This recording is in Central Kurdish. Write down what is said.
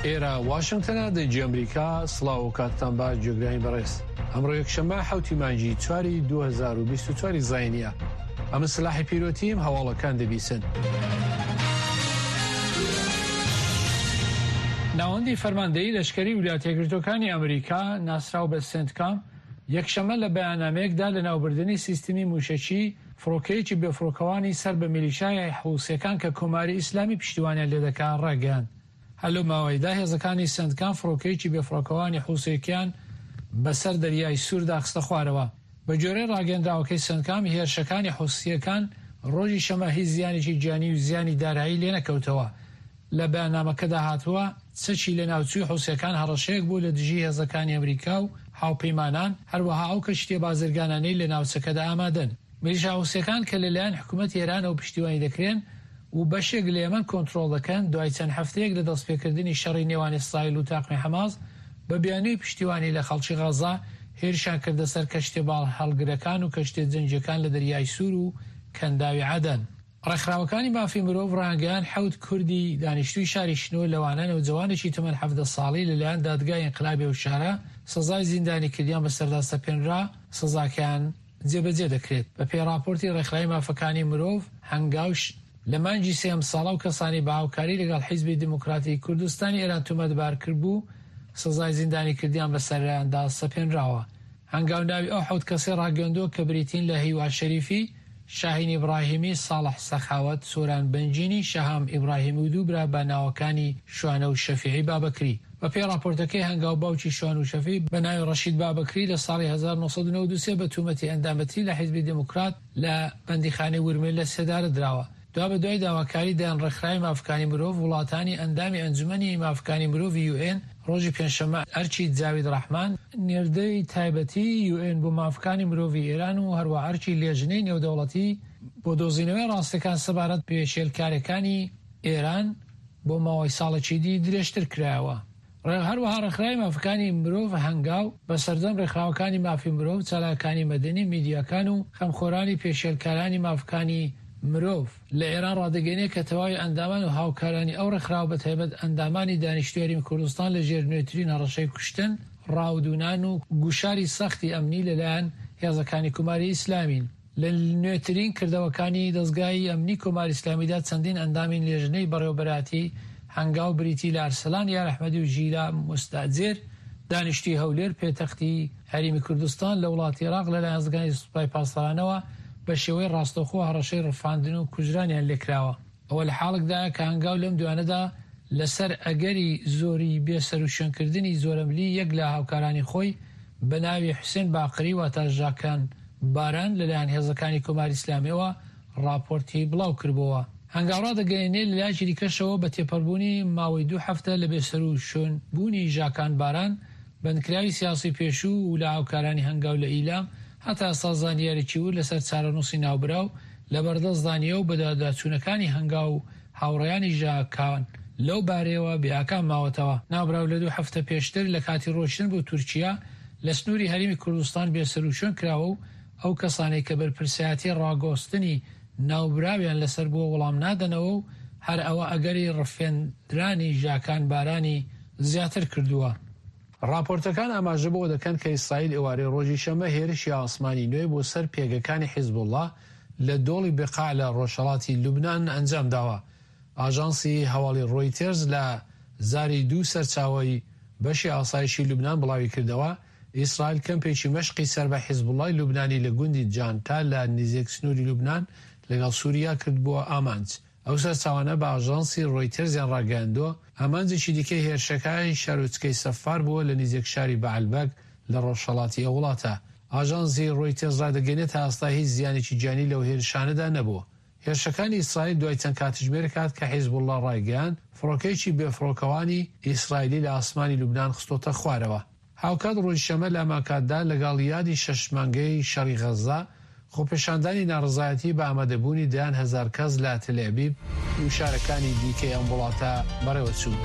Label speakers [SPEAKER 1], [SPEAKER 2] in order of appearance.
[SPEAKER 1] ئێرە واشنگتنە دەنگی ئەمریکا سڵاو و کاتتان باش جێگرانی بەڕێز ئەمڕۆ یەکشەممە حوتی مانگی چواری 2024 زینیە ئەمە سلاحی پیرۆتیم هەواڵەکان دەبیسن. ناوەندی فەرماندەیی لەشکری ولایەتە یەکگرتووەکانی ئەمریکا ناسراو بە سێنتکام یەکشەممە لە بەیاننامەیەکدا لەناوبردنی سیستمی مووشەکی فڕۆکەیەکی بێفڕۆکەوانی سەر بە میلیشیای حوسییەکان کە کۆماری ئیسلامی پشتیوانیان لێدەکا ڕاگەیاند. هەر لەو ماوەیەدا هێزەکانی سەنتکام فڕۆکەیەکی بێفڕۆکەوانی حوسییەکان بەسەر دەریای سووردا خستە خوارەوە. بەگوێرەی ڕاگەیەندراوەکەی سەنتکام، هێرشەکانی حوسییەکان ڕۆژی شەممە هیچ زیانێکی گیانی و زیانی دارایی لێنەکەوتەوە. لە بەیاننامەکەدا هاتووە، چەکی لەناوچووی حوسییەکان هەڕەشەیەک بوو لە دژی هێزەکانی ئەمریکا و هاوپەیمانان، هەروەها ئەو کەشتییە بازرگانانەی لە ناوچەکەدا ئامادەن. میلیشا حوسییەکان کە لەلایەن حکومەتی ئێرانەوە پشتیوانی دەکرێن و بەشێک لە یەمەن کۆنترۆڵ دەکەن، دوای چەند هەفتەیەک لە دەستپێکردنی شەڕی نێوان ئیسرائیل و تاقمی حەماس بە بیانووی پشتیوانی لە خەڵکی غەززە، هێرشیان کردە سەر کەشتیە باڵهەڵگرەکان و کەشتیە جەنگییەکان لە دەریای سوور و کەنداوی عەدەن. ڕێکخراوەکانی مافی مرۆڤ ڕایانگەیاند حەوت کوردی دانیشتووی شاری شنۆ لەوانە نەوجەوانێکی تەمەن 17 ساڵی لەلایەن دادگای ئینقلابی ئەو شارە سزای زیندانیکردیان بەسەردا سەپێنرا، سزاکەیان جێبەجێ دەکرێت. بەپێی ڕاپۆرتی ڕێکخراوی مافەکانی مرۆڤ هەنگاو، لە مانگی سێ ئەمساڵ ئەو کەسانەی بە هاوکاری لەگەڵ حیزبی دیموکراتی کوردستانی ئێران تومەتبار کردبوو سزای زیندانیکردیان بەسەریاندا سەپێنراوە. هەنگاو ناوی ئەو حەوت کەسەی ڕاگەیاندووە کە بریتین لە هیوا شەریفی، شاهین ئیبڕاهیمی، ساڵح سەخاوەت، سۆران بەنجینی، شەهام ئیبڕاهیمی و دوو برا بە ناوەکانی شوانە و شەفیعی بابەکری. بە پێی ڕاپۆرتەکەی هەنگاو باوکی شوان و شەفی بە ناوی ڕەشید بابەکری لە ساڵی 1993 بە تومەتی ئەندامەتی لە حیزبی دێموکرات لە بەندیخانەی ورمێ لە سێدارە دراوە. دوابەدوای داواکاری دەیان ڕێکخراوی مافەکانی مرۆڤ، وڵاتانی ئەندامی ئەنجومەنی مافەکانی مرۆڤی یوئێن ڕۆژی پێنجشەممە ئەرکی جاوید ڕەحمان، نێردەی تایبەتی یوئێن بۆ مافەکانی مرۆڤی ئێران و هەروەها ئەرکی لێژنەی نێودەوڵەتی بۆ دۆزینەوەی ڕاستیەکان سەبارەت پێشێلکاریەکانی ئێران بۆ ماوەی ساڵێکی دی درێژتر کرایەوە. هەروەها ڕێکخراوی مافەکانی مرۆڤ هەنگاو، بە سەرجەم ڕێکخراوەکانی مافی مرۆڤ، چالاکانی مەدەنی، میدیاکان و خەمخۆرانی پێشێلکارانی مافەکانی مرۆڤ لە ئێران ڕادەگەیەنێ کە تەواوی ئەندامان و هاوکارانی ئەو ڕێکخراوە بە تایبەت ئەندامانی دانیشتووی هەرێمی کوردستان لە ژێر نوێترین هەڕەشەی کوشتن، ڕاودوونان و گوشاری سەختی ئەمنی لەلایەن هێزەکانی کوماری ئیسلامین. لە نوێترین کردەوەکانی دەزگای ئەمنی کۆماری ئیسلامیدا چەندین ئەندامی لێژنەی بەڕێوەبەرایەتی هەنگاو بریتی لە ئەرسەلان یارئەحمەدی و ژیلا موستەئجر دانیشتووی هەولێر پێتەختی هەرێمی کوردستان لە وڵاتی ئێراق لەلایەن هێزەکانی سوپای پاسدارانەوە بە شێوەی ڕاستەوخۆ هەڕەشەی ڕفاندن و کوژرانیان لێکراوە. ئەوە لە حاڵێکدایە کە هەنگاو لەم دوایانەدا لە سەر ئەگەری زۆری بێ سەروشوێنکردنی زۆرەملی یەک لە هاوکارانی خۆی بە ناوی حوسێن باقری واتە ژاکان باران لە لایەن هێزەکانی کۆماری ئیسلامیەوە ڕاپۆرتی بڵاو کربۆوە. هەنگاو ڕادەگەیەنێ لە لایەکی دیکەشەوە بە تێپەربوونی ماوەی دوو هەفتە لە بێ سەروشوێن بوونی ژاکان باران بەندکراوی سیاسی پێشوو و لە هاوکارانی هەنگاو لە ئیلام هەتا ئێستا زانیاریی ورد لەسەر چارەنووسی ناوبراو لەبەردەستدا نییە و بەدواداچوونەکانی هەنگاو و هاوڕێیانی ژاکان لەو بارەیەوە بێ ئاکام ماوەتەوە. ناوبراو لە دوو هەفتە پێشتر لە کاتی ڕۆیشتن بۆ تورکیا لە سنووری هەرێمی کوردستان بێسەروشوێن کراوە و ئەو کەسانەی کە بەرپرسایەتی ڕاگۆستنی ناوبراویان لەسەر بووە وەڵام نادەنەوە و هەر ئەوە ئەگەری ڕفێندرانی ژاکان بارانی زیاتر کردووە. ڕاپۆرتەکان ئاماژە بەوە دەکەن کە ئیسرائیل ئێوارەی ڕۆژی شەممە هێرشی ئاسمانی نوێی بۆ سەر پێگەکانی حیزبوڵڵا لە دۆڵی بقاع لە ڕۆژهەڵاتی لوبنان ئەنجام داوە. ئاژانسی هەواڵی ڕۆیتێرز لە زاری دوو سەرچاوەی بەشی ئاسایشی لوبنان بڵاویکردەوە، ئیسرائیل کەمپێکی مەشقی سەر بە حیزبوڵڵای لوبنانی لە گوندی جانتا لە نزیک سنووری لوبنان لەگەڵ سوریا کردبووە ئامانج. ئەو سەرچاوانە بە ئاژانسی ڕۆیتەرزیان ڕاگەیاندووە، ئامانجێکی دیکەی هێرشەکە شارۆچکەی سەفار بووە لە نزیک شاری بەعلبەک لە ڕۆژهەڵاتی ئەو وڵاتە. ئاژانسی ڕۆیتەرز ڕادەگەیەنێت تا ئێستا هیچ زیانێکی گیانی لەو هێرشانەدا نەبووە. هێرشەکانی ئیسرائیل دوای چەند کاتژمێرێک هات کە حیزبوڵڵا ڕایگەیاند، فڕۆکەیەکی بێفڕۆکەوانی ئیسرائیلی لە ئاسمانی لوبنان خستۆتە خوارەوە. هاوکات ڕۆژی شەممە لە هەمانکاتدا لەگەڵ یادی شەش مانگەی شەڕی غەززە، خۆپێشاندانی ناڕەزایەتی بە ئامادەبوونی دەیان هەزار کەس لە تلئەبیب و شارەکانی دیکەی ئەم وڵاتە بەڕێوەچوو.